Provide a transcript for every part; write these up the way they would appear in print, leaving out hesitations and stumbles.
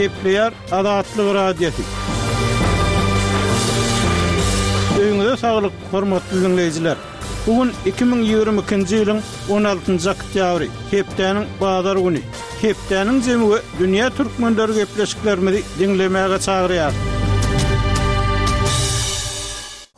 Gepleýär Azatlyk Radiosy. Öýüňize saglyk, hormatly diňleýjiler! Bu gün 2022-nji ýylyň 16-njy oktýabry, hepdäniň bazar güni. Hepdäniň jemi we dünýä türkmenleri gepleşiklerimizi diňlemäge çagyrýar.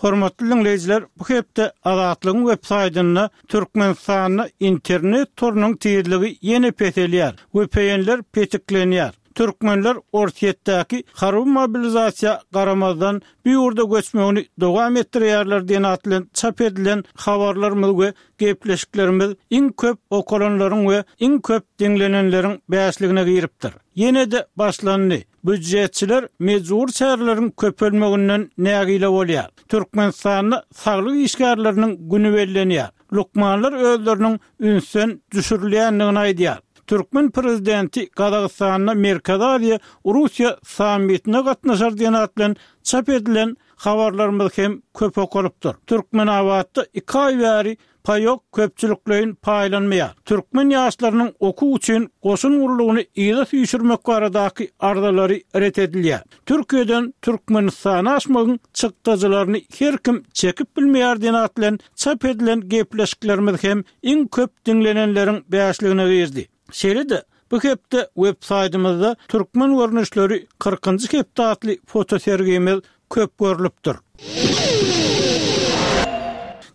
Hormatly diňleýjiler, bu hepde Azatlygyň web saýtynda Türkmenistanda internet torunyň tizligi ýene peselýär, VPN-ler petiklenýär. Türkmenler Orsýetdäki harby mobilizasiýa garamazdan bu ýurda göçmegini dowam etdirýärler diýen at bilen çap edilen habarlarymyz we gepleşiklerimiz iň köp okalanlaryň we iň köp diňlenenleriň bäşligine giripdir. Ýene-de başlandy. Býujetçiler mejbury çäreleriň köpelmeginden nägile bolýar. Türkmenistanda saglyk işgärleriniň güni bellenýär. Lukmanlar özleriniň ünsden düşürilýändigini aýdýar. Türkmen prezidenti Gazagystanda Merkezi Aziýa, Russiýa sammitine gatnaşar diýen at bilen çap edilen habarlarymyz hem köp okalypdyr. Türkmenabatda iki aý bäri Paýok köpçülikleýin paýlanmaýar. Türkmen ýaşlarynyň okuw üçin goşun gullugyny yza süýşürmek baradaky arzalary ret edilýär. Türkiýeden Türkmenistana aşmagyň çykdajylaryny her kim çekip bilmeýär diýen at bilen çap edilen gepleşiklerimiz hem iň köp diňlenenleriň bäşligine girdi. Şeýle-de, bu hepde web-saýtymyzda Türkmen görnüşleri kyrkynjy hepde atly fotosergimiz köp görlüpdir.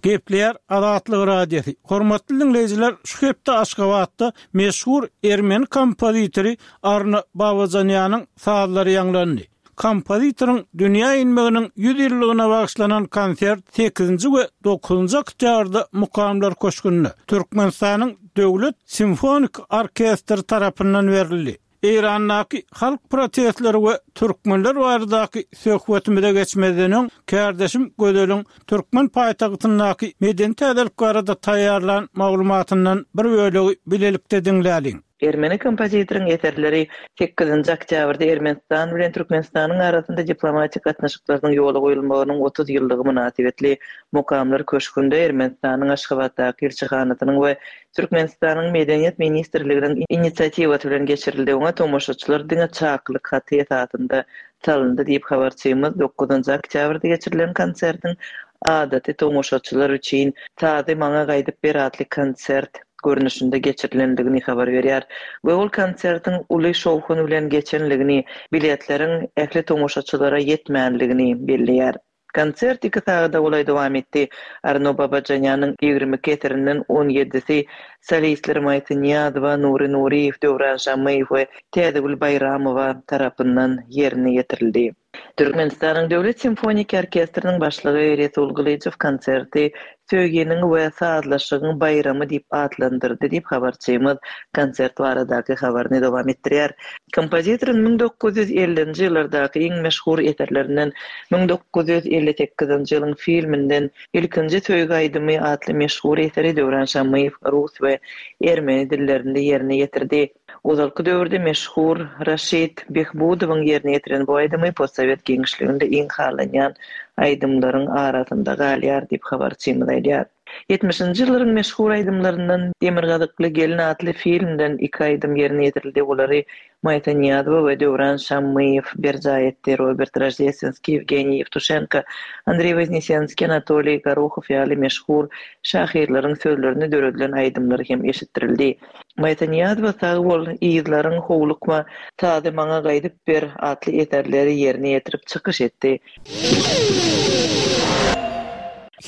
Gepleýär Azatlyk Radiosy. Hormatly diňleýjiler, şu hepde Aşgabatda meşhur ermeni kompozitory Arna Babajanýanyň sazlary ýaňlandy. Kompozitoryň dünýä inmeginiň 100 ýyllygyna bagyşlanan konsert sekizinji we dokuzynjy oktýabrda Mukamlar köşgünde, Türkmenistanyň Döwlet simfonik orkestri tarapyndan berildi. Eýrandaky halk protestleri we türkmenler baradaky söhbetimize geçmezden öň, kärdeşim Gözeliň türkmen paýtagtyndaky medeni täzelik barada taýýarlan maglumatyndan bir bölegi bilelikde diňläliň. Ermeni kompozitoryň eserleri sekizinji oktýabrda Ermenistan bilen Türkmenistanyň arasynda diplomatik gatnaşyklarynyň ýola goýulmagynyň 30 ýyllygy mynasybetli Mukamlar köşgünde Ermenistanyň Aşgabatdaky ilçihanasynyň we Türkmenistanyň Medeniýet ministrliginiň inisiatiwasy bilen geçirildi, oňa tomaşaçylar diňe çakylyk haty esasynda salyndy diýip, habarçymyz dokuzynjy oktýabrda geçirilen konsertiň adaty tomaşaçylar üçin Sazy maňa gaýdyp ber atly konsert görnüşinde geçirilendigini habar berýär we ol konsertiň uly şowhun bilen geçenligini, biletleriň ähli tomaşaçylara ýetmänligini belleýär. Konsert iki sagada golaý dowam etdi. Arno Babajanýanyň 22 eserinden on ýedisi solistler Maýsa Nyýazowa, Nury Nuryýew, Döwran Şammyýew we Täzegül Baýramowa tarapyndan ýerine ýetirildi. Türkmenistanyň Döwlet simfoniki orkestriniň başlygy Resul Gylyjow konserti Söýginiň we sazlaşygyň baýramy diýip atlandyrdy diýip, habarçymyz konsert baradaky habaryny dowam etdirýär. Kompozitoryň 1950-nji ýyllardaky iň meşhur eserlerinden 1958-nji ýylyň filminden Ilkinji söýgi aýdymy atly meşhur eseri Döwran Şammyýew rus we ermeni dillerinde ýerine ýetirdi. Ozalky döwürde meşhur Raşid Behbudowyň ýerine ýetiren bu aýdymy postsowet giňişliginde iň halanýan aýdymlaryň arasynda galýar diýip, habarçymyz aýdýar. Ýetmişinji ýyllaryň meşhur aýdymlaryndan Demirgazykly gelin atly filmden iki aýdym ýerine ýetirildi, olary Maýsa Nyýazowa we Döwran Şammyýew berjaý etdi, Robert Roždestwenskiý, Ýewgeniý Ýewtuşenko, Andreý Woznesenskiý, Anatoliý Gorohow ýaly meşhur şahyrlaryň sözlerine döredilen aýdymlar hem eşitdirildi. Maýsa Nyýazowa Sag bol, yzlaryň, Howlukma, Sazy maňa gaýdyp ber atly eserleri ýerine ýetirip çykyş etdi.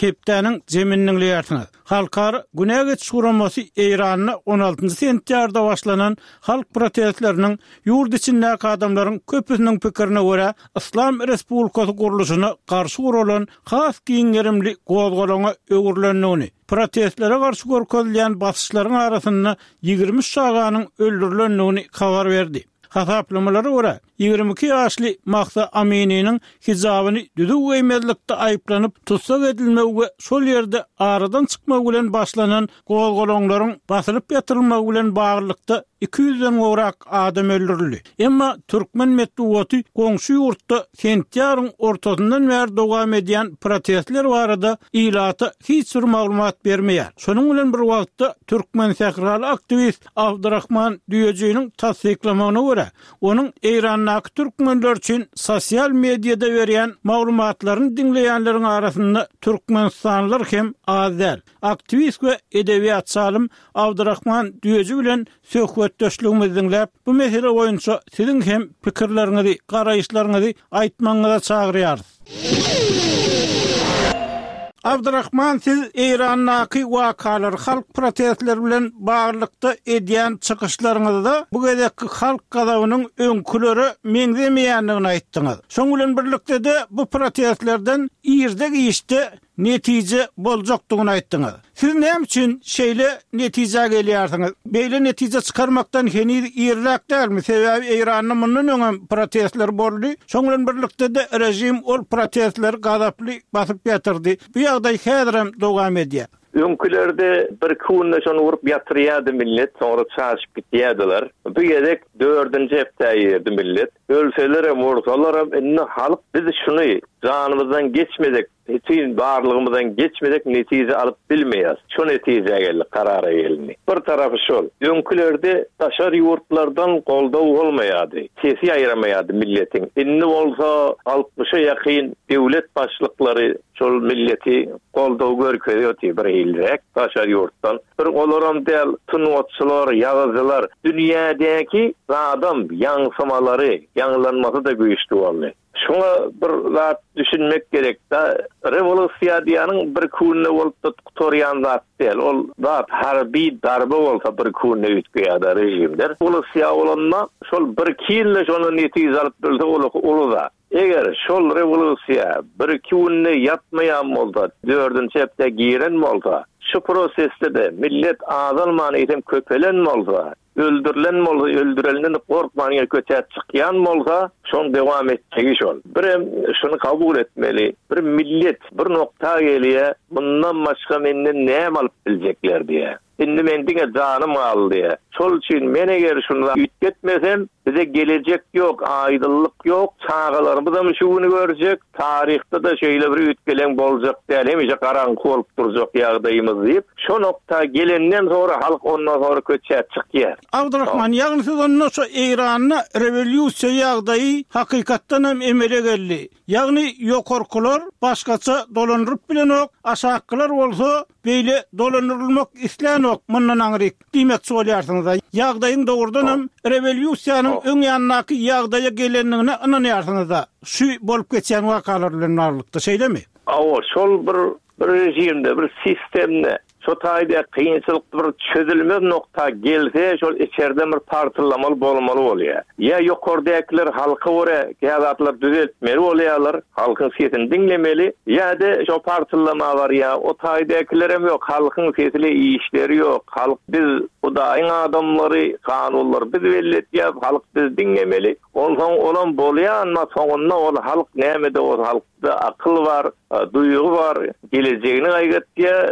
Hepdäniň jemini diňleýärsiňiz. Halkara Günä geçiş guramasy Eýranda on altynjy sentýabrda başlanan halk protestleriniň ýurt içindäki adamlaryň köpüsiniň pikirine görä Yslam Respublikasy gurluşyna garşy guralan has giň gerimli gozgalaňa öwrülendigini, Protestlere garşy görkezilýän basyşlaryň arasynda 23 çaganyň öldürilendigini habar berdi. Hasaplamalara görä, 22 ýaşly Mahsa Amininiň hijabyny düzüw geýmezlikde aýyplanyp tussag edilmegi we şol ýerde aradan çykmagy bilen başlanan gozgalaňlaryň basylyp ýatyrylmagy bilen baglylykda iki ýüzden gowrak adam öldürildi. Emma türkmen metbugaty goňşy ýurtda sentýabryň ortasyndan bäri dowam edýän protestler barada ilata hiç bir maglumat bermeýär. Şonuň bilen bir wagtda, türkmensähraly aktiwist Abdyrahman Düýejiniň tassyklamagyna görä. görä, onuň Eýrandaky türkmenler üçin sosial mediada berýän maglumatlaryny diňleýänleriň arasynda türkmenistanlylar hem az däl. Aktiwist we edebiýatçy alym Abdyrahman Düýeji bilen söhbetdeşligimizi diňläp, bu mesele boýunça siziň hem pikirleriňizi, garaýyşlaryňyzy aýtmagyňyza çagyrýarys. Abdyrahman siz Eýrandaky wakalar, halk protestleri bilen baglylykda edýän çykyşlaryňyzda bu gezekki halk gazabynyň öňkülere meňzemeýändigini aýtdyňyz. Şoň bilen birlikde-de bu protestlerden irde-giçde netije boljakdygyny aýtdyňyz. Siz näme üçin şeýle netijä gelýärsiňiz? Beýle netije çykarmakdan heniz irräk dälmi? Sebäbi Eýranda mundan öňem protestler boldy. Şoň bilen birlikde-de režim ol protestleri gazaply basyp ýatyrdy. Bu ýagdaý häzirem dowam edýär. Öňkülerde birki günde şony urup ýatyrýardy millet, soňra çaşyp gitýärdiler. Bu gezek dördünji hepdä girdi millet. Ölselerem, ursalaram indi halk biz şuny janymyzdan geçmesek, Bütin barlygymyzdan geçmesek netije alyp bilmeýäris. Şo netijä geldik, karara gelindi. Bir tarapy şol. Öňkülerde daşary ýurtlardan goldaw bolmaýardy. Sesi ýaýramaýardy milletiň. Indi bolsa altmyşa ýakyn döwlet başlyklary şol milleti goldaw görkezýärdi birhiliräk daşary ýurtdan. Bir olaram däl, sungatçylar, ýazyjylar, dünýädäki zadam ýaňsymalary, ýaňlanmasy-da güýçli boldy. Şuňa bir zat düşünmek gerek-da, rewolýusiýa diýýäniň bir künde bolup-da gutarýan zat däl. Ol zat harby darbe bolsa bir künde üýtgeýär-de režimler. Rewolýusiýa bolanda şol birki ýylda şondan netije alyp bilse ol uly zat. Eger şol rewolýusiýa birki günde ýatmaýan bolsa, dördünji hepdä giren bolsa, şu prosesde-de millet azalman eýsem köpelen bolsa, Öldürilen bolsa öldürenden gorkman ýene köçä çykýan bolsa şoň dowam etjegi şol. Birem şuny kabul etmeli bir millet bir nokta gelýä mundan başga menden näme alyp biljekler diýä. Indi men diňe janym galdy diýä. Şol üçin men eger şuny üýtgetmesem bize gelejek ýok aýdynlyk ýok çagalarymyzam şu güni görjek Taryhda-da şeýle bir üýtgeleň boljak däl, hemişe garaňky bolup durjak ýagdaýymyz diýip, şo nokta gelenden soňra halk ondan soňra köçä çykýar. Abdurahman, ýagny siz onda şo Eýranda rewolýusiýa ýagdaýy hakykatdan hem emele geldi. Ýagny ýokarkylar başgaça dolandyryp bilenok, aşakkylar bolsa beýle dolandyrylmak islänok mundan aňryk. Diýmekçi bolýarsyňyz-a? Ýagdaýyň dogrudanam rewolýusiýanyň öň ýanyndaky ýagdaýa gelendigine ynanýarsyňyz-a, şu bolup geçýän wakalar bilen baglylykda, şeýlemi? Hawa, şol bir bir režimde, bir sistemde şo taýda kynçylyk bir çözülmez nokta gelse, şol içerden bir partyllamaly bolmaly bolýar. Ýa ýokardäkiler halka görä käzatlar düzeltmeli bolýarlar, halkyň sesini diňlemeli, ýa-da şo partyllama barýar, o taýdakilerem ýok, halkyň sesile işleri ýok, halk biz Hudaýyň adamlary, kanunlary biz belli etýäs, halk bizi diňlemeli, onsoň olam bolýar, emma soňunda ol halk nämede bolsa halkda akyl bar, Duýgy bar, gelejegini gaýgytýar,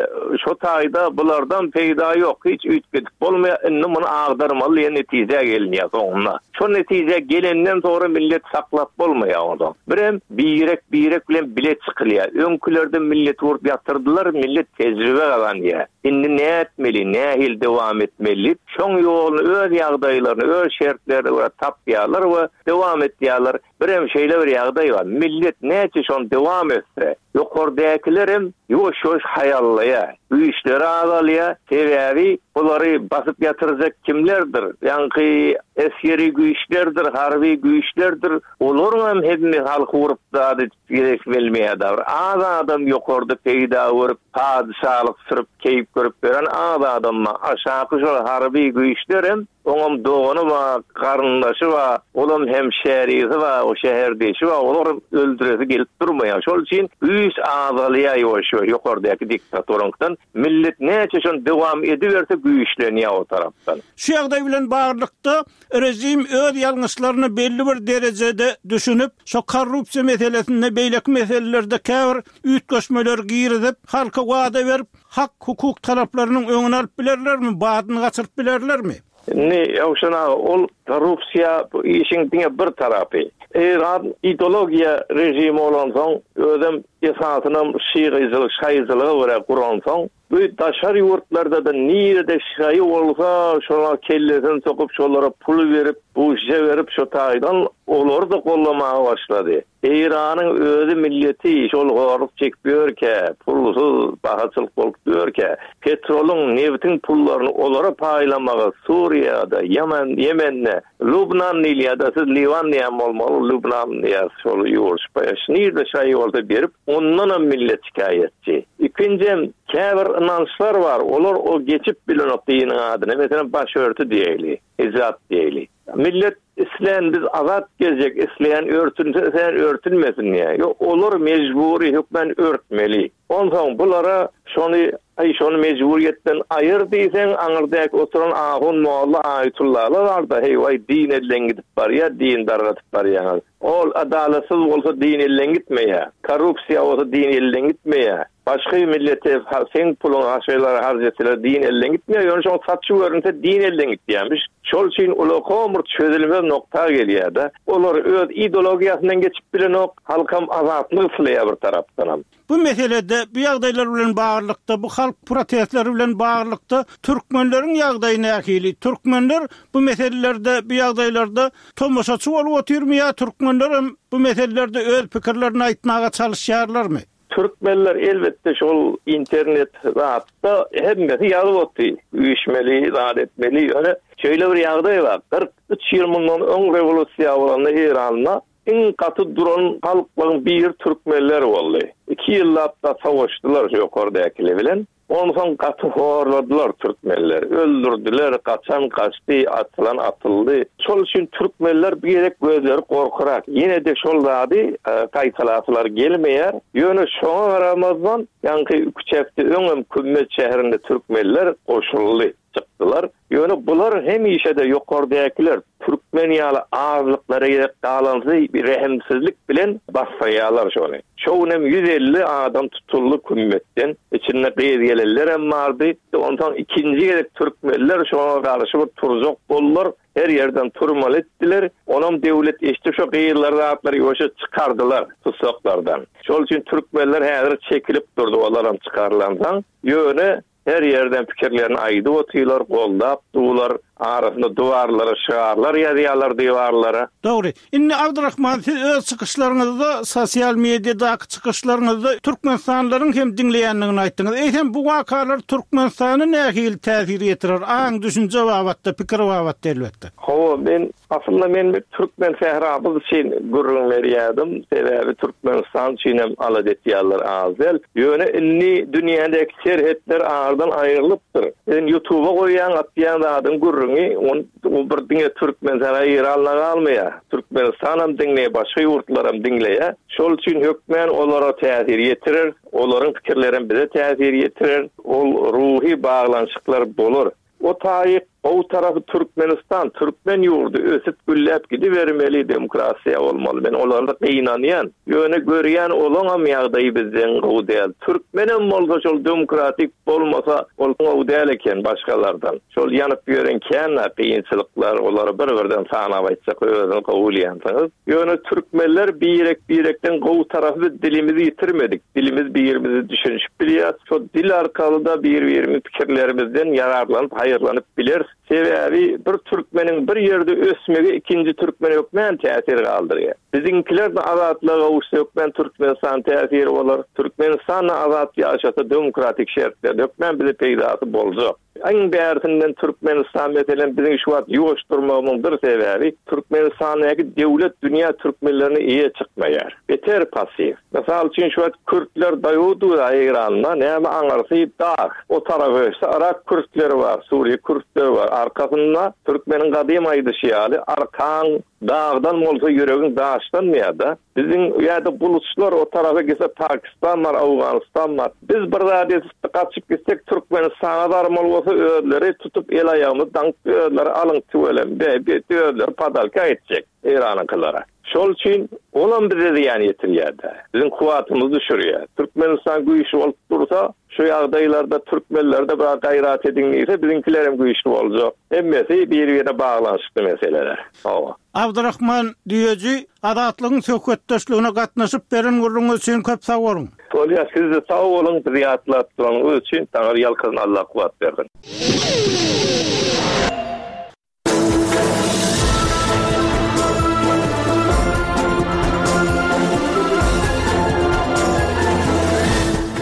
şo taýda bulardan peýda ýok, hiç üýtgedip bolmaýar, indi muny agdarmaly diýen netijä gelinýär soňunda. Şo netijä gelenden soňra millet saklap bolmaýar onsoň. Birem birek-birek bilen bile çykylýar. Öňkülerde milleti urup ýatyrdylar, millet tejribe gazanýar. Indi nätmeli, nähili dowam etmeli diýip, şoň ýoluny öz ýagdaýlaryna, öz şertlerine görä tapýarlar we dowam etýärler. Birem şeýle bir ýagdaý bar, millet näçe şony dowam etse, ýokardäkilerem ýuwaş-ýuwaş haýallaýar, güýçleri azalýar, sebäbi bulary basyp ýatyrjak kimlerdir, ýaňky esgeri güýçlerdir, harby güýçlerdir, olaryňam hemme halky urup zat edip gezesi gelmeýär da, bir az adam ýokarda peýda görüp, padyşalyk sürüp, keýp görüp ýören az adam bar, aşaky şol harby güýçlerem Oňam dogany bar, garyndaşy bar, olam hemşärisi bar, o şäherdeşi bar, olaram öldüresi gelip durmaýar. Şol üçin güýç azalýar ýuwaş-ýuwaş ýokardaky diktaturaňkydan. Millet näçe şony dowam ediberse güýçlenýär o tarapdan. Şu ýagdaý bilen baglylykda režim öz ýalňyşlaryna belli bir derejede düşünip, şo korrupsiýa meselesinde, beýleki meselelerde käbir üýtgeşmeleri girizip, halka wada berip, Hak-hukuk talaplarynyň öňüni alyp bilerlermi, badyny gaçyryp bilerlermi? Indi, Ýowşan aga, ol Korrupsiýa bu işiň diňe bir tarapy. Eýran ideologiýa režimi bolansoň, özem esasynam şygyjylyk, şaýyjylyga görä guransoň, bu daşary ýurtlarda-da nirede şaýy bolsa, şoňa kellesini sokup, şolara pul berip, buşja berip, şo taýdan olary-da gollamaga başlady. Eýranyň özi milleti şol horluk çekip ýörkä, pulsuz bahaçylyk bolup ýörkä, petrolyň, nebtiň pullaryny olara paýlamagy Suriýada, Ýemen, Ýemende, Lubnan diýilýär-de, siz Liwan diýen bolmaly, Lubnan diýýäs şol ýurt, nirde şaýy bolsa berip, ondanam millet şikaýatçy. Ikinjem, käbir ynançlar bar, olar o geçip bilenok diniň adyna, meselem, başörtü diýeýli, hijap diýeýli. Millet islän biz azat gezjek isleýän örtünse isleýän örtünmesin diýýär. Ýok olar mejbury hökmän örtmeli. Onsoň bulara şony aý şony mejburyýetden aýyr diýseň aňyrdäki oturan ahun molla aýtullalar barda heý waý din elden gidip barýar din dargatyp barýaňyz. Ol adalatsyz bolsa din elden gitmeýär. Korrupsiýa bolsa din elden gitmeýär. Başga millete seň puluňy haşaýlara harç etseler din elden gitmeýär, ýöne şoň saçy görünse din elden gitýärmiş. Şol üçin ulakam bir çözülmez nokta gelýärde. Olar öz ideologiýasyndan geçip bilenok, halkam azatlyk isleýär bir tarapdanam. Bu meselede, bu ýagdaýlar bilen baglylykda, bu halk protestleri bilen baglylykda türkmenleriň ýagdaýy nähili? Türkmenler bu meselelerde, bu ýagdaýlarda tomaşaçy bolup otyrmy ýa türkmenlerem bu meselelerde öz pikirlerini aýtmaga çalyşýarlarmy? Türkmenler elbetde şol internet zatda hemmesi ýazyp oty, üýşmeli, zat etmeli, ýöne şeýle bir ýagdaý bar, 43 ýyl mundan öň rewolýusiýa bolanda Eýranda iň gaty duran halklaryň biri türkmenler boldy. Iki ýyllap da savaşdylar şu ýokardäkili bilen. Onsoň gaty horladylar türkmenleri. Öldürdiler, gaçan gaçdy, atylan atyldy. Şol üçin türkmenler bir gezek gözleri gorkurak. Ýene-de şol zady gaýtalasylar gelmeýär. Ýöne şoňa garamazdan, ýaňky üç hepde öňem Kümmet şäherinde türkmenler goşuldy. Çykdylar. Ýöne bular hemişe-de ýokardäkiler türkmen ýaly azlyklara gezek galansy bir rehimsizlik bilen basdyrýarlar şony. Şo günem 150 adam tutuldy kümmetden. Içinde gyz gelenlerem bardy. Onsoň ikinji gezek türkmenler şoňa garşy bir turjak boldular. Her ýerden turmaly etdiler. Onam döwlet eşidip şo gyzlary zatlary ýuwaşja çykardylar tussaklardan. Şol üçin türkmenler häzir çekilip durdy olaram çykarylansoň. Ýöne Her ýerden pikirlerini aýdyp otyrlar, goldap durlar, arasynda duwarlara şygarlar ýazýarlar diwarlara. Dogry. Indi Abdyrahman siz öz çykyşlaryňyzda sosial mediadaky çykyşlaryňyzda türkmenistanlylaryň hem diňleýändigini aýtdyňyz. Eýsem bu wakalar Türkmenistana nähili täsir ýetirer, aň düşünje babatda, pikir babatda elbetde? Hawa, men Aslynda men bir türkmen sähramyz üçin gürrüň berýärdim. Sebäbi Türkmenistan üçin hem alada etýärler az däl. Ýöne indi dünýädäki serhetler aradan aýrylypdyr. Sen ýutuba goýýaň atýan zadyň gürrüňi ol bir diňe türkmen sähra Eýranda galmaýar. Türkmenistanam diňleýär başga ýurtlaram diňleýär. Şol üçin hökmän olara täsir ýetirer. Olaryň pikirlerem bize täsir ýetirer. Ol ruhy baglanyşyklar bolar. O taýy gowy tarapy Türkmenistan türkmen ýurdy ösüp gülläp gidibermeli demokrasiýa bolmaly men olarda gynanýan ýöne görýän olaňam ýagdaýy bizden gowy däl türkmenem bolsa şol demokratik bolmasa ol gowy däl eken başgalardan şol ýanyp ýören kän kynçylyklar olary bir birden sanap aýtjak özüňiz gowy bilýänsiňiz. Ýöne türkmenler birek birekden gowy tarapy biz dilimizi ýitirmedik. Dilimiz birimizi düşünişip bilýäs. Şo dil arkaly-da bir birimiz pikirlerimizden ýararlanyp haýyrlanyp bileris. Sebäbi bir türkmeniň bir ýerde ösmegi ikinji türkmene hökmän täsir galdyrýar. Biziňkiler-de azatlyga gowuşsa hökmän Türkmenistan täsiri bolar. Türkmenistan-da azat ýaşasa demokratik şertlerde hökmän bize peýdasy boljak. Iň bärsinden Türkmenistan meselem biziň şu wagt ýuwaş durmagymyň bir sebäbi Türkmenistandaky döwlet dünýä türkmenlerine eýe çykmaýar. Beter passiw. Mysal üçin şu wagt kürtler daýawdyr Eýranda näme aňyrsy dag. O tarapa geçse Yrak kürtleri bar, Suriýe kürtleri bar. Arkasynda türkmeniň gadym aýdyşy ýaly arkaň dagdan bolsa ýüregiň daşdan diýýär-de. Biziň ýa-da buluçlar o tarapa gitse Pakistan bar, Owganystan bar. Biz bir zat edip gaçyp gitsek Türkmenistana barmaly bolsa. bolsa özleri tutup el-aýagymyzy daňyp özleri alyň tüweleme be özleri padalka etjek Eýranyňkylara. Şol üçin olam bize zyýan ýetirýär-dä. Biziň kuwwatymyzy düşürýär. Türkmenistan güýçli bolup dursa, şu ýagdaýlarda türkmenler-de biraz gaýrat ediň diýse, biziňkilerem güýçli boljak. Hemmesi bir-birine baglanyşykly meseleler. Hawa. Abdyrahman Düýeji Azatlygyň söhbetdeşligine gatnaşyp beren gürrüňiňiz üçin köp sag boluň. Bolýar sizde sag boluň bizi ýatlap duranyňyz üçin Taňry ýalkasyn Allah kuwwat bersin.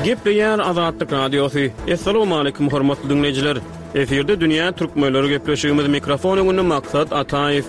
Gepleýär Azatlyk Radiosy. Assalamualaikum hormatly diňleýjiler. Efirde dünýä türkmenleri gepleşigimiz mikrofon öňünde Maksat Ataýew.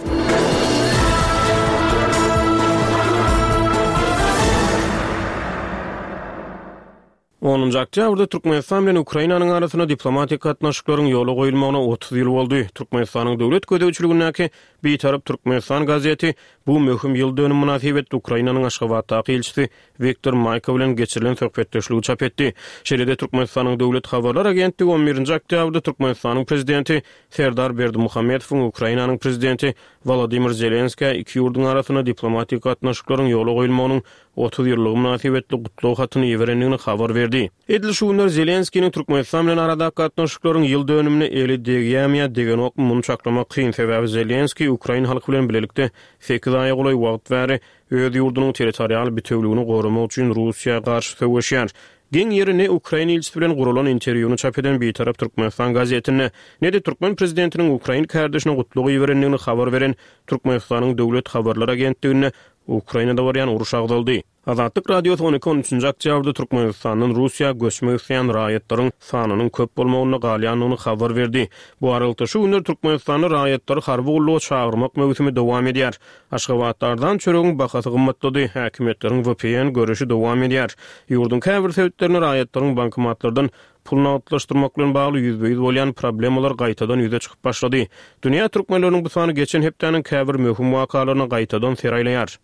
Onunjy oktýabrda Türkmenistan bilen Ukrainanyň arasynda diplomatik gatnaşyklaryň ýola goýulmagyna 30 ýyl boldy. Türkmenistanyň döwlet gözegçiligindäki Bitarap Türkmenistan gazeti bu möhüm ýyl dönümi mynasybetli Ukrainanyň Aşgabatdaky ilçisi Wiktor Maýko bilen geçirilen söhbetdeşligi çap etdi. Şeýle-de Türkmenistanyň Döwlet habarlar agentligi on birinji oktýabrda Türkmenistanyň Prezidenti Serdar Berdimuhamedowyň Ukrainanyň Prezidenti Wolodymyr Zelenskä iki ýurduň arasynda diplomatik gatnaşyklaryň ýola goýulmagynyň 30 ýyllygy mynasybetli gutlag hatyny iberendigini habar berdi. Edil şu günler Zelenskiniň Türkmenistan bilen aradaky gatnaşyklaryň ýyl dönümine eli degýärmi ýa degenokmy muny çaklamak kyn, sebäbi Zelenskiý ukrain halky bilen bilelikde sekiz aýa golaý wagt bäri öz ýurdunyň territorial bitewligini goramak üçin Russiýa garşy söweşýär. Geň ýeri ne ukrain ilçisi bilen guralan interwýuny çap eden Bitarap Türkmenistan gazetinde, ne-de türkmen prezidentiniň ukrain kärdeşine gutlag iberendigini habar beren Türkmenistanyň Döwlet habarlar agentliginde Ukrainada barýan uruş agzaldy. Azatlyk Radiosy on iki, on üçünji oktýabrda Türkmenistandan Russiýa göçmek isleýän raýatlaryň sanynyň köp bolmagynda galýandygyny habar berdi. Bu aralykda, şu günler Türkmenistanda raýatlary harby gulluga çagyrmak möwsümi dowam edýär. Aşgabatda arzan çöregiň bahasy gymmatlady, häkimiýetleriň vpn göreşi dowam edýär. Ýurduň käbir sebitlerinde raýatlaryň bankomatlardan pul nagtlaşdyrmak bilen bagly ýüzbe-ýüz bolýan problemalar gaýtadan ýüze çykyp başlady. Dünýä türkmenleriniň bu sany geçen hepdäniň käbir möhüm wakalaryna gaýtadan ser aýlaýar.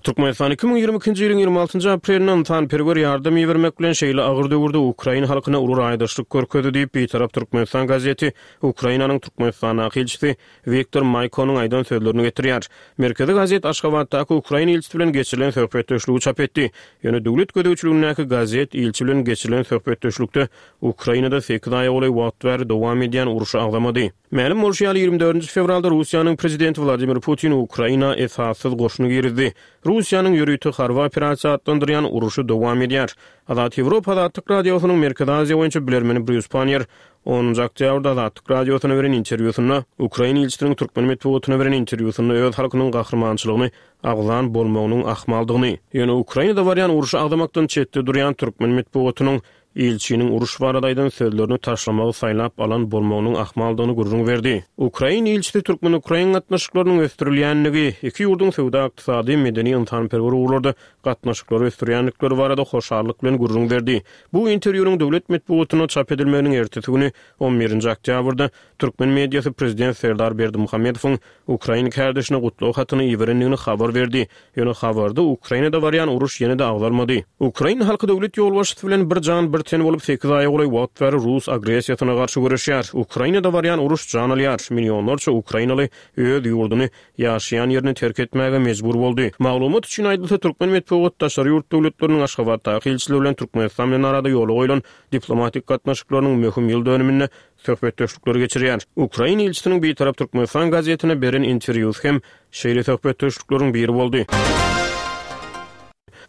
Türkmenistan 2022-nji ýylyň 26-njy aprelinde ynsanperwer ýardam ibermek bilen şeýle agyr döwürde ukrain halkyna uly raýdaşlyk görkezdi diýip, Bitarap Türkmenistan gazeti Ukrainanyň Türkmenistandaky ilçisi Wiktor Maýkonyň aýdan sözlerini getirýär. Merkezi gazet Aşgabatdaky ukrain ilçisi bilen geçirilen söhbetdeşligi çap etdi. Ýöne döwlet gözegçiligindäki gazet ilçi bilen geçirilen söhbetdeşlikde Ukrainada sekiz aýa golaý wagt bäri dowam edýän urşy agzamady. Mälim bolşy ýaly, 24 nji fewralda Russiýanyň prezidenti Wladimir Putin Ukraina esassyz goşuny girizdi. Russiýanyň ýörite harby operasiýa atlandyrýan urşy dowam edýär. Azat Ýewropa Azatlyk Radiosynyň Merkezi Aziýa boýunça bilermeni Brýus Panniýer Onunjy oktýabrda Azatlyk Radiosyna beren interwýusynda ukrain ilçisiniň türkmen metbugatyna beren interwýusynda öz halkynyň gahrymançylygyny agzan bolmagynyň ahmaldygyny, ýöne Ukrainada barýan urşy agzamakdan çetde durýan türkmen metbugatynyň ilçiniň uruş barada aýdan sözlerini taşlamagy saýlap alan bolmagynyň ahmaldygyny gürrüň berdi. Ukrain ilçisi türkmen-ukrain gatnaşyklarynyň ösdürilýändigi, iki ýurduň söwda-ykdysady, medeni-ynsanperwer ugurlarda gatnaşyklary ösdürýändikleri barada hoşallyk bilen gürrüň berdi. Bu interwýunyň döwlet metbugatynda çap edilmeginiň ertesi güni, on birinji oktýabrda, türkmen mediasy prezident Serdar Berdimuhamedowyň ukrain kärdeşine gutlag hatyny iberendigini habar berdi. Ýöne habarda Ukrainada barýan uruş ýene-de agzalmady. Ukrain halky döwlet ýolbaşçysy bilen bir jan, bir ten bolup sekiz aýa golaý wagt bäri rus agressiýasyna garşy göreşýär. Ukrainada barýan uruş jan alýar. Millionlarça ukrainaly öz ýurduny ýaşaýan ýerini terk etmäge mejbur boldy. Maglumat üçin aýdylsa, türkmen metbugaty daşary ýurt döwletleriniň Aşgabatdaky ilçileri bilen Türkmenistan bilen arada ýola goýlan diplomatik gatnaşyklarynyň möhüm ýyl dönüminde söhbetdeşlikleri geçirýär. Ukrain ilçisiniň Bitarap Türkmenistan gazetine beren interwýusy hem şeýle söhbetdeşlikleriň biri boldy.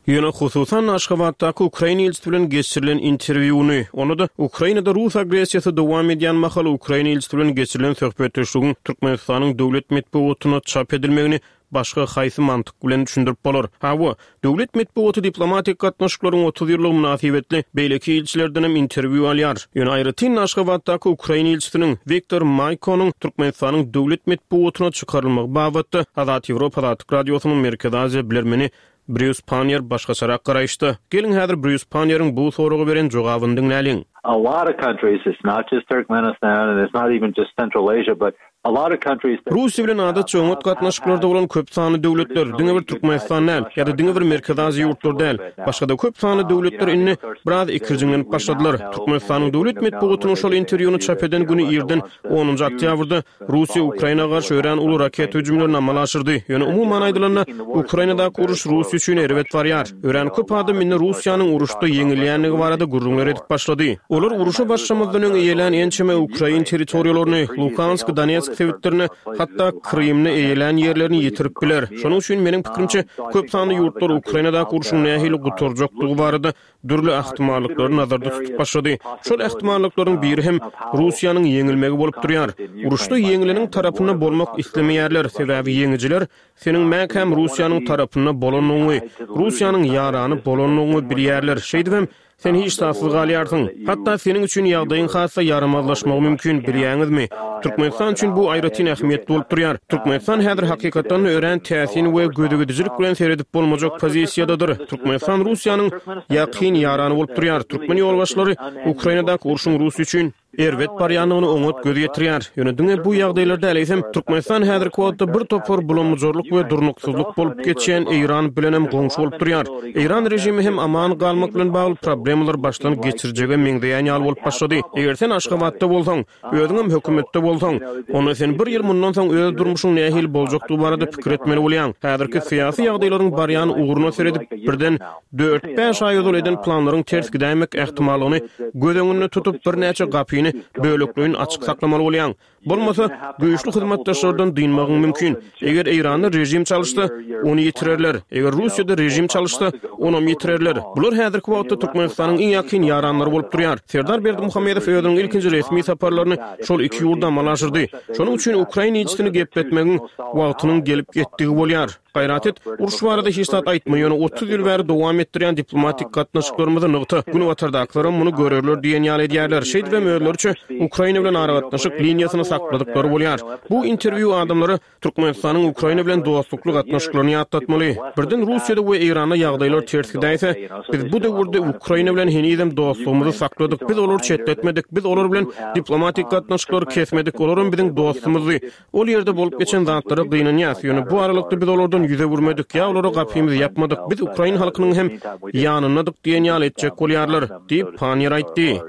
Ýöne, hususan-da, Aşgabatdaky ukrain ilçisi bilen geçirilen interwýuny, onda-da Ukrainada rus agressiýasy dowam edýän mahaly ukrain ilçisi bilen geçirilen söhbetdeşligiň Türkmenistanyň döwlet metbugatynda çap edilmegini başga haýsy mantyk bilen düşündirip bolar? Hawa, döwlet metbugaty diplomatik gatnaşyklaryň 30 ýyllygy mynasybetli beýleki ilçilerdenem interwýu alýar. Ýöne aýratyn-da Aşgabatdaky ukrain ilçisiniň Wiktor Maýkonyň Türkmenistanyň döwlet metbugatyna çykarylmagy babatda Azat Ýewropa Azatlyk Radiosynyň Merkezi Aziýa bilermeni Brýus Panniýer başgaçarak garaýyşda. Geliň häzir Brýus Panniýeriň bu soraga beren jogabyny diňläliň. A lot of countries, it's not just Turkmenistan and it's not even just Central Asia, but. Russiýa bilen adatça oňat gatnaşyklarda bolan köp sanly döwletler, diňe bir Türkmenistan däl, ýa-da diňe bir Merkezi Aziýa ýurtlary däl, başga-da köp sanly döwletler indi biraz ikirjiňlenip başladylar. Türkmenistanyň döwlet metbugatynyň şol interwýuny çap eden güni irden, onunjy oktýabrda Russiýa Ukraina garşy örän uly raketa hüjümlerini amala aşyrdy. Ýöne umuman aýdylanda, Ukrainadaky uruş Russiýa üçin erbet barýar. Örän köp adam indi Russiýanyň uruşda ýeňilýändigi barada gürrüňler edip başlady. Olar uruşa başlamazdan öň eýelän ençeme ukrain territoriýalaryny, Luhansk, Donetsk sebitlerini, hatda Krymda eýelän ýerlerini ýitirip biler. Şonuň üçin, meniň pikirimçe, köp sanly ýurtlar Ukrainadaky urşuň nähili gutarjakdygy barada dürli ähtimallyklary nazarda tutup başlady. Şol ähtimallyklaryň biri hem Russiýanyň ýeňilmegi bolup durýar. Uruşda ýeňileniň tarapynda bolmak islemeýärler, sebäbi ýeňijiler seniň mäkäm Russiýanyň tarapynda bolandygyňy, Russiýanyň ýarany bolandygyňy bilýärler. Şeýdibem, sen hiç zatsyz galýarsyň. Hatda seniň üçin ýagdaýyň has-da ýaramazlaşmagy mümkin, bilýäňizmi? Türkmenistan üçin bu aýratyn ähmiýetli bolup durýar. Türkmenistan häzir hakykatdan-da örän täsin we gözügidijilik bilen seredip bolmajak pozisiýadadyr. Türkmenistan Russiýanyň ýakyn ýarany bolup durýar. Türkmen ýolbaşçylary Ukrainadaky urşuň Russiýa üçin erbet barýandygyna oňat göz ýetirýär. Ýöne diňe bu ýagdaýlar däl, eýsem, Türkmenistan häzirki wagtda bir topar bulamyjarlyk we durnuksyzlyk bolup geçýän Eýran bilenem goňşy bolup durýar. Eýran režimi hem aman galmak bilen bagly problemalar başdan geçirjege meňzeýän ýaly bolup başlady. Eger sen Aşgabatda bolsaň, Özüňem hökümetde bolsaň, onda sen bir ýyl mundan soň öz durmuşyň nähili boljakdygy barada pikir etmeli bolýaň. Häzirki syýasy ýagdaýlaryň barýan ugruna seredip, birden dört-bäş aý ozal eden planlaryň ters gidäýmek ähtimallygyny göz öňünde tutup, birnäçe gapyny bölekleýin açyk saklamaly bolýaň. Bolmasa, güýçli hyzmatdaşlardan dynmagyň mümkin. Eger Eýranda režim çalyşsa, ony ýitirerler. Eger Russiýada režim çalyşsa, onam ýitirerler. Bular häzirki wagtda Türkmenistanyň iň ýakyn ýaranlary bolup durýar. Serdar Berdimuhamedow özüniň ilkinji resmi saparlaryny şol iki ýurda amala aşyrdy. Şonuň üçin ukrain ilçisini gepletmegiň wagtynyň gelip ýetdigi bolýar. Gaýrat et, uruş barada hiç zat aýtma, ýöne 30 ýyl bäri dowam etdirýän diplomatik gatnaşyklarymyzy nygta, günbatardakylaram muny görerler diýen ýaly edýärler. Şeýdibem özleriçe Ukraina bilen aragatnaşyk liniýasyny sakladyklary bolýar. Bu interwýu adamlara Türkmenistanyň Ukraina bilen dostlukly gatnaşyklaryny ýatlatmaly. Birden Russiýada we Eýranda ýagdaýlar ters gidäýse, biz bu döwürde Ukraina bilen henizem dostlugymyzy sakladyk, biz olary çetletmedik, biz olar bilen diplomatik gatnaşyklary kesmedik, olaram biziň dostumyzdy. Ol ýerde bolup geçen zatlara gynanýas, ýöne bu aralykda biz olardan ýüz öwürmedik ýa olara gapymyzy ýapmadyk, biz ukrain halkynyň hem ýanyndadyk diýen ýaly etjek bolýarlar, diýip, Panniýer aýtdy.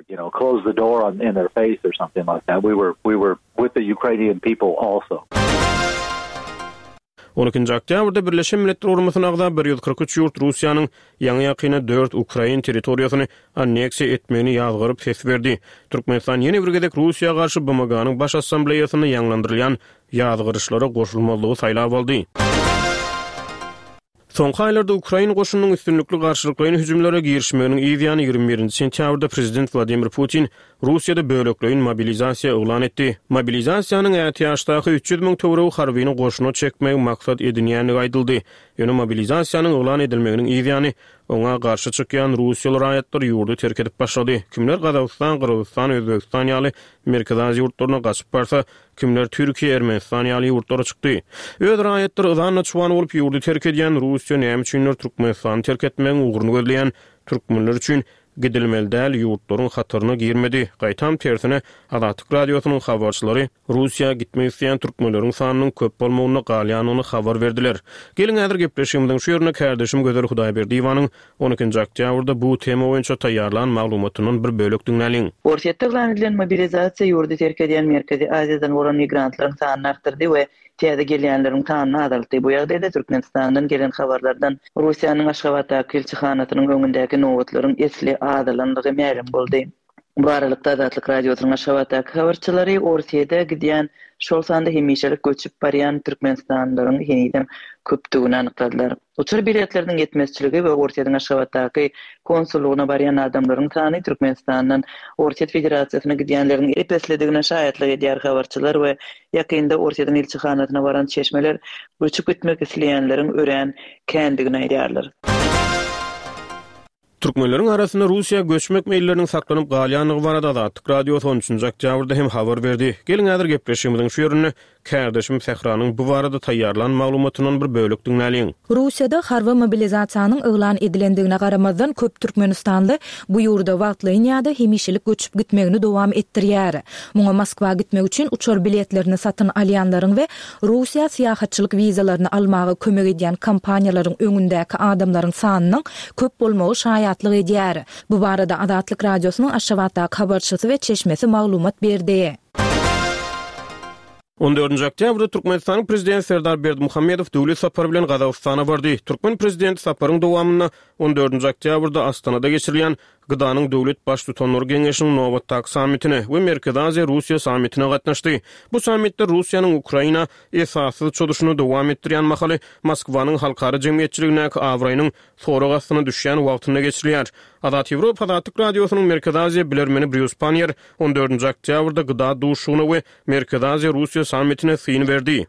On ikinji oktýabrda Birleşen Milletler Guramasyna agza 143 ýurt Russiýanyň ýaňy-ýakynda dört ukrain territoriýasyny anneksiýa etmegini ýazgaryp ses berdi. Türkmenistan ýene bir gezek Russiýa garşy BMG-niň Baş Assambleýasynda ýaňlandyrylýan ýazgaryşlara goşulmazlygy saýlap aldy. Soňky aýlarda ukrain goşunynyň üstünlikli garşylyklaýyn hüjümlere girişmeginiň yz ýany 21-nji sentýabrda prezident Wladimir Putin Russiýada bölekleýin mobilizasiýa yglan etdi. Mobilizasiýanyň ätiýaçdaky 300 müň töweregi harbyny goşuna çekmegi maksat edinýändigi aýdyldy. Ýöne mobilizasiýanyň yglan edilmeginiň yz ýany oňa garşy çykýan russiýaly raýatlar ýurdy terk edip başlady. Kimler Gazagystan, Gyrgyzystan, Özbegistan ýaly Merkezi Aziýa ýurtlaryna gaçyp barsa, kimler Türkiýe, Ermenistan ýaly ýurtlara çykdy. Öz raýatlary yzan-da-çuwan bolup ýurdy terk edýän Russiýa näme üçindir Türkmenistany terk etmegiň ugruny gözleýän türkmenler üçin gidilmeli däl ýurtlaryň hataryna girmedi. Gaýtam tersine, Azatlyk Radiosynyň habarçylary Russiýa gitmek isleýän türkmenleriň sanynyň köp bolmagynda galýandygyny habar berdiler. Geliň häzir gepleşigimiziň şu ýerinde kärdeşim Gözel Hudaýberdiýewanyň On ikinji oktýabrda bu tema boýunça taýýarlan maglumatyndan bir bölek diňläliň. Orsýetde yglan edilen mobilizasiýa ýurdy terk edýän Merkezi Aziýadan bolan migrantlaryň sanyny artdyrdy we täze gelýänleriň sanyny azaltdy. Bu ýagdaýda Türkmenistandan gelen habarlardan Russiýanyň Aşgabatdaky ilçihanasynyň öňündäki nobatlaryň esli azalandygy mälim boldy. Bu aralykda, Azatlyk Radiosynyň Aşgabatdaky habarçylary Orsýete gidýän, şol sanda hemişelik göçüp barýan türkmenistanlylaryň henizem köpdügini anykladylar. Uçar biletleriniň ýetmezçiligi we Orsýetiň Aşgabatdaky konsullygyna barýan adamlaryň sany Türkmenistandan Orsýet Federasiýasyna gidýänleriň ep-eslidigine şaýatlyk edýär habarçylar we ýakynda Orsýetiň ilçihanasyna baran çeşmeler göçüp gitmek isleýänleriň örän kändigini aýdýarlar. Türkmenleriň arasynda Russiýa göçmek meýilleriniň saklanyp galýandygy barada Azatlyk Radiosy on üçünji oktýabrda hem habar berdi. Geliň häzir gepleşigimiziň şu ýerinde kärdeşim Sähranyň bu barada taýýarlan maglumatyndan bir bölek diňläliň. Russiýada harby mobilizasiýanyň yglan edilendigine garamazdan köp türkmenistanly bu ýurda wagtlaýyn ýa-da hemişelik göçüp gitmegini dowam etdirýär. Muňa Moskwa gitmek üçin uçar biletlerini satyn alýanlaryň we Russiýa syýahatçylyk wizalaryny almaga kömek edýän kompaniýalaryň öňündäki adamlaryň sanynyň köp bolmagy şaýatlyk edýär. Bu barada Azatlyk Radiosynyň Aşgabatdaky habarçysy we çeşmesi maglumat berdi. On dördünji oktýabrda Türkmenistanyň Prezidenti Serdar Berdimuhamedow döwlet sapary bilen Gazagystana bardy. Türkmen Prezidenti saparyň dowamynda on dördünji oktýabrda Astanada geçirilýän GDA-nyň döwlet Baştutanlary Geňeşiniň nobatdaky sammitine we Merkezi Aziýa-Russiýa sammitine gatnaşdy. Bu sammitler Russiýanyň Ukraina esassyz çozuşyny dowam etdirýän mahaly Moskwanyň halkara jemgyýetçiligindäki abraýynyň sorag astyna düşýän wagtynda geçirilýär. Azat Ýewropa Azatlyk Radiosynyň Merkezi Aziýa bilermeni Brýus Panniýer on dördünji oktýabrda GDA duşuşygyna we Merkezi Aziýa-Russiýa sammitine syn berdi.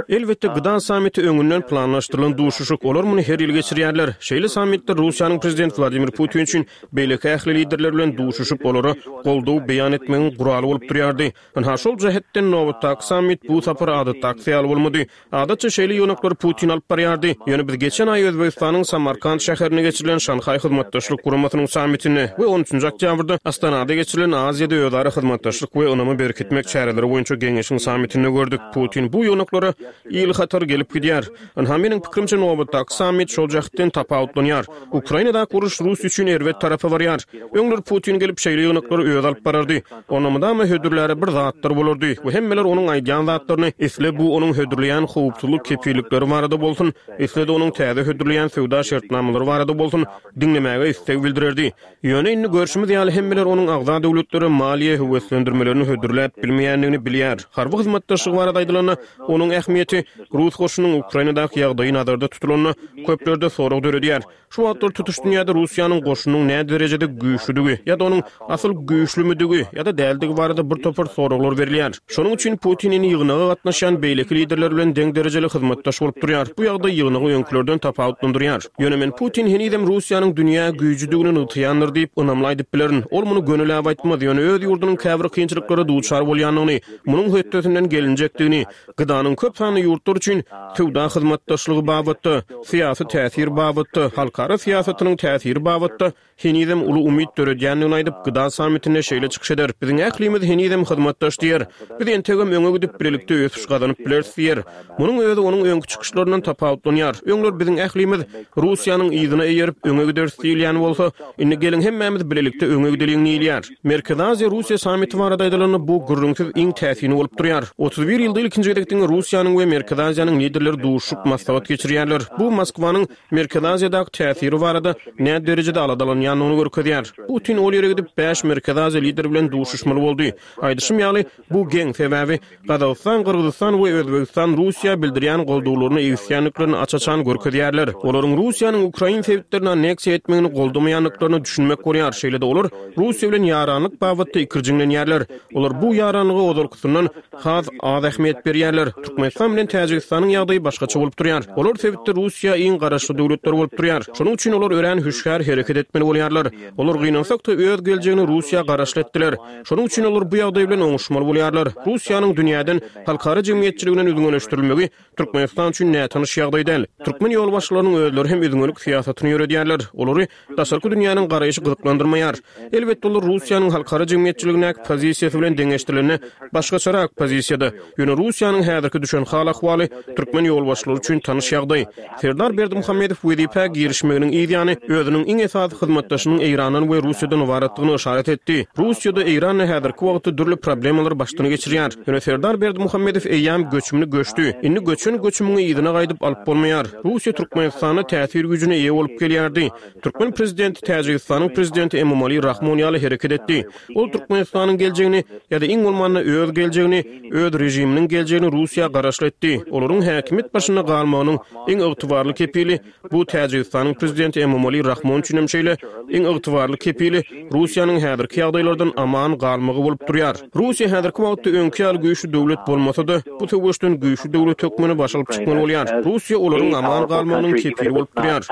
Elbetde, GDA sammiti öňünden planlaşdyrylan duşuşyk, olar muny her ýyl geçirýärler. Şeýle sammitler Russiýanyň Prezidenti Wladimir Putin üçin beýleki ähli liderler bilen duşuşyp, olara goldaw beýan etmegiň guraly bolup durýardy. Ynha, şol jähetden nobatdaky sammit bu sapar adatdakysy ýaly bolmady. Adatça şeýle ýygnaklary Putin alyp barýardy. Ýöne biz geçen aý Özbegistanyň Samarkant şäherinde geçirilen Şanhaý Hyzmatdaşlyk Guramasynyň sammitinde we on üçünji oktýabrda Astanada geçirilen Aziýada özara hyzmatdaşlyk we ynamy berkitmek çäreleri boýunça geňeşiň sammitinde gördük. Putin bu ýygnaklara ýyl-hatar gelip gidýär. Ynha, meniň pikirimçe, nobatdaky sammit şol jähtden tapawutlanýar. Ukrainadaky uruş Russiýa üçin erbet tarapa barýar. Öňler Putin gelip şeýle ýygnaklary özi alyp barardy. Onda mydama hödürläre bir zatlar bolardy we hemmeler onuň aýdýan zatlaryny, isle bu onuň hödürleýän howpsuzlyk kepillikleri barada bolsun, isle-de onuň täze hödürleýän söwda şertnamalary barada bolsun, diňlemäge isleg bildirerdi. Ýöne indi görşümiz ýaly hemmeler onuň agza döwletlere maliýe höweslendirmelerini hödürläp bilmeýändigini bilýär. Harby hyzmatdaşlyk barada aýdylanda, onuň ähmiýeti, rus goşunynyň Ukrainadaky ýagdaýy nazarda tutulanda, köplerde sorag döredýär. Şu wagtlar tutuş dünýäde Russiýanyň goşunynyň nä derejede güýçlüdigi ýa-da onuň asyl güýçlümidigi ýa-da däldigi barada bir topar soraglar berilýär. Şonuň üçin Putin indi ýygnaga gatnaşýan beýleki liderler bilen deň derejeli hyzmatdaş bolup durýar. Bu ýagdaý ýygnagy öňkülerden tapawutlandyrýar. Ýöne men Putin henizem Russiýanyň dünýä güýjüdigini nygtaýandyr diýip ynamly aýdyp bilerin. Ol muny gönüläp aýtmaz, ýöne öz ýurdunyň käbir kynçylyklara duçar bolýandygyny, munuň hötdesinden gelinjekdigini, GDA-nyň köp sanly ýurtlar üçin söwda hyzmatdaşlygy babatda, syýasy täsir babatda, halkara syýasatynyň täsiri babatda henizem uly umyt döredýändigini aýdyp, GDA sammitinde şeýle çykyş eder, Biziň ählimiz henizem hyzmatdaş diýer. Biz entegem öňe gidip, bilelikde ösüş gazanyp bileris diýer. Munuň özi onuň öňki çykyşlaryndan tapawutlanýar. Öňler biziň ählimiz Russiýanyň yzyna eýerip, öňe gideris diýilýän bolsa, indi geliň hemmämiz bilelikde öňe gideliň diýilýär. Merkezi Aziýa-Russiýa sammiti barada aýdylanda, bu gürrüňsiz iň täsini bolup durýar. 31 ýylda ilkinji gezek diňe Russiýanyň we Merkezi Aziýanyň liderleri duşuşyp maslahat geçirýärler. Bu Moskwanyň Merkezi Aziýadaky täsiri barada nä derejede aladalanýandygyny görkezýär. Putin ol ýere gidip, bäş Merkezi Aziýa lideri bilen duşuşmaly boldy. Aýdyşym ýaly, bu geň, sebäbi Gazagystan, Gyrgyzystan we Özbegistan Russiýa bildirýän goldawlaryny egisýändiklerini aç-açan görkezýärler. Olaryň Russiýanyň ukrain sebitlerini anneksiýa etmegini goldamaýandyklaryna düşünmek bolýar. Şeýle-de olar Russiýa bilen ýaranlyk babatda ikirjiňlenýärler. Olar bu ýaranlyga ozalkysyndan has az ähmiýet berýärler. Türkmenistan bilen Täjigistanyň ýagdaýy başgaça bolup durýar. Olar sebitde Russiýa iň garaşly döwletler bolup durýar. Şonuň üçin olar örän hüşgär hereket etmeli bolýarlar. Olar gynansak-da öz geljegini Russiýa garaşly etdiler. Şonuň üçin olar bu ýagdaý bilen oňuşmaly bolýarlar. Russiýanyň dünýäden, halkara jemgyýetçiliginden üzňeleşdirilmegi Türkmenistan üçin nätanyş ýagdaý däl. Türkmen ýolbaşçylarynyň özleri hem üzňelik syýasatyny ýöredýärler. Olary daşarky dünýäniň garaýşy gyzyklandyrmaýar. Elbetde, olar Russiýanyň halkara jemgyýetçiligindäki pozisiýasy bilen deňeşdirilende başgaçarak pozisiýada. Ýöne Russiýanyň häzirki düşen hal-ahwaly türkmen ýolbaşçylary üçin tanyş ýagdaý. Serdar Berdimuhamedow wezipä girişmeginiň yz ýany, özüniň iň esasy hyzmatdaşynyň Eýrandan we Russiýadan ybaratdygyny yşarat etdi. Russiýa-da, Eýran-da häzirki wagtda dürli problemalary başdan geçirýär. Ýöne Serdar Berdimuhamedow eýýäm göçümini göçdi. Indi göçen göçümiňi yzyna gaýdyp alyp bolmaýar. Russiýa Türkmenistanda täsir güýjüne eýe bolup gelýärdi. Türkmen prezidenti Täjigistanyň prezidenti Emomali Rahmon ýaly hereket etdi. Ol Türkmenistanyň geljegini ýa-da iň bolmanda. Täjigistanda öz geljegini, öz režiminiň geljegini Russiýa garaşly etdi. Olaryň häkimiýet başynda galmagynyň iň ygtybarly kepili, bu Täjigistanyň prezidenti Emomali Rahmon üçin hem şeýle, iň ygtybarly kepili Russiýanyň häzirki ýagdaýlardan aman galmagy bolup durýar. Russiýa häzirki wagtda öňki ýaly güýçli döwlet bolmasa-da, bu söweşden güýçli döwlet hökmünde baş alyp çykmaly bolýar. Russiýa olaryň aman galmagynyň kepili bolup durýar.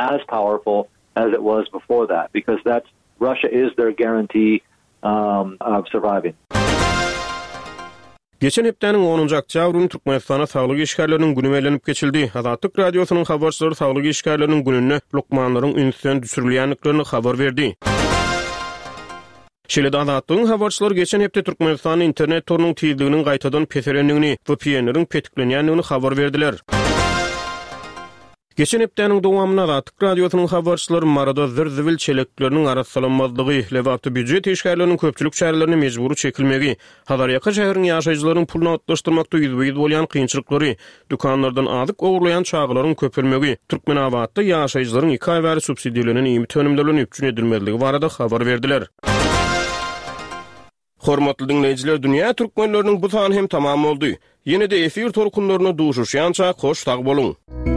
as it was before that because that's Russia is their guarantee of surviving. Geçen hepdäniň onunjy oktýabr güni Türkmenistanda Saglyk işgärleriniň güni bellenip geçildi. Azatlyk Radiosynyň habarçylary Saglyk işgärleriniň gününde lukmanlaryň ünsden düşürilýändiklerini habar berdi. Şeýle-de Azatlygyň habarçylary geçen hepde Türkmenistanda internet torunyň tizliginiň gaýtadan peselendigini, VPN-leriň petiklenýändigini habar berdiler. Geçen hepdäniň dowamynda Azatlyk Radiosynyň habarçylary Maryda zir-zibil çelekleriniň arassalanmazlygy, Lebapda býujet işgärleriniň köpçülik çärelerine mejbury çekilmegi, Hazarýaka şäheriň ýaşaýjylarynyň pul nagtlaşdyrmakda ýüzbe-ýüz bolýan kynçylyklary, dükanlardan azyk ogurlaýan çagalaryň köpelmegi, Türkmenabatda ýaşaýjylaryň iki aý bäri subsidirlenen iýmit önümleri bilen üpjün edilmezligi barada habar berdiler. Hormatly diňleýjiler Dünýä Türkmenleriniň bu sany hem tamam boldy. Ýene-de efir tolkunlarynda duşuşýançak hoş sag boluň.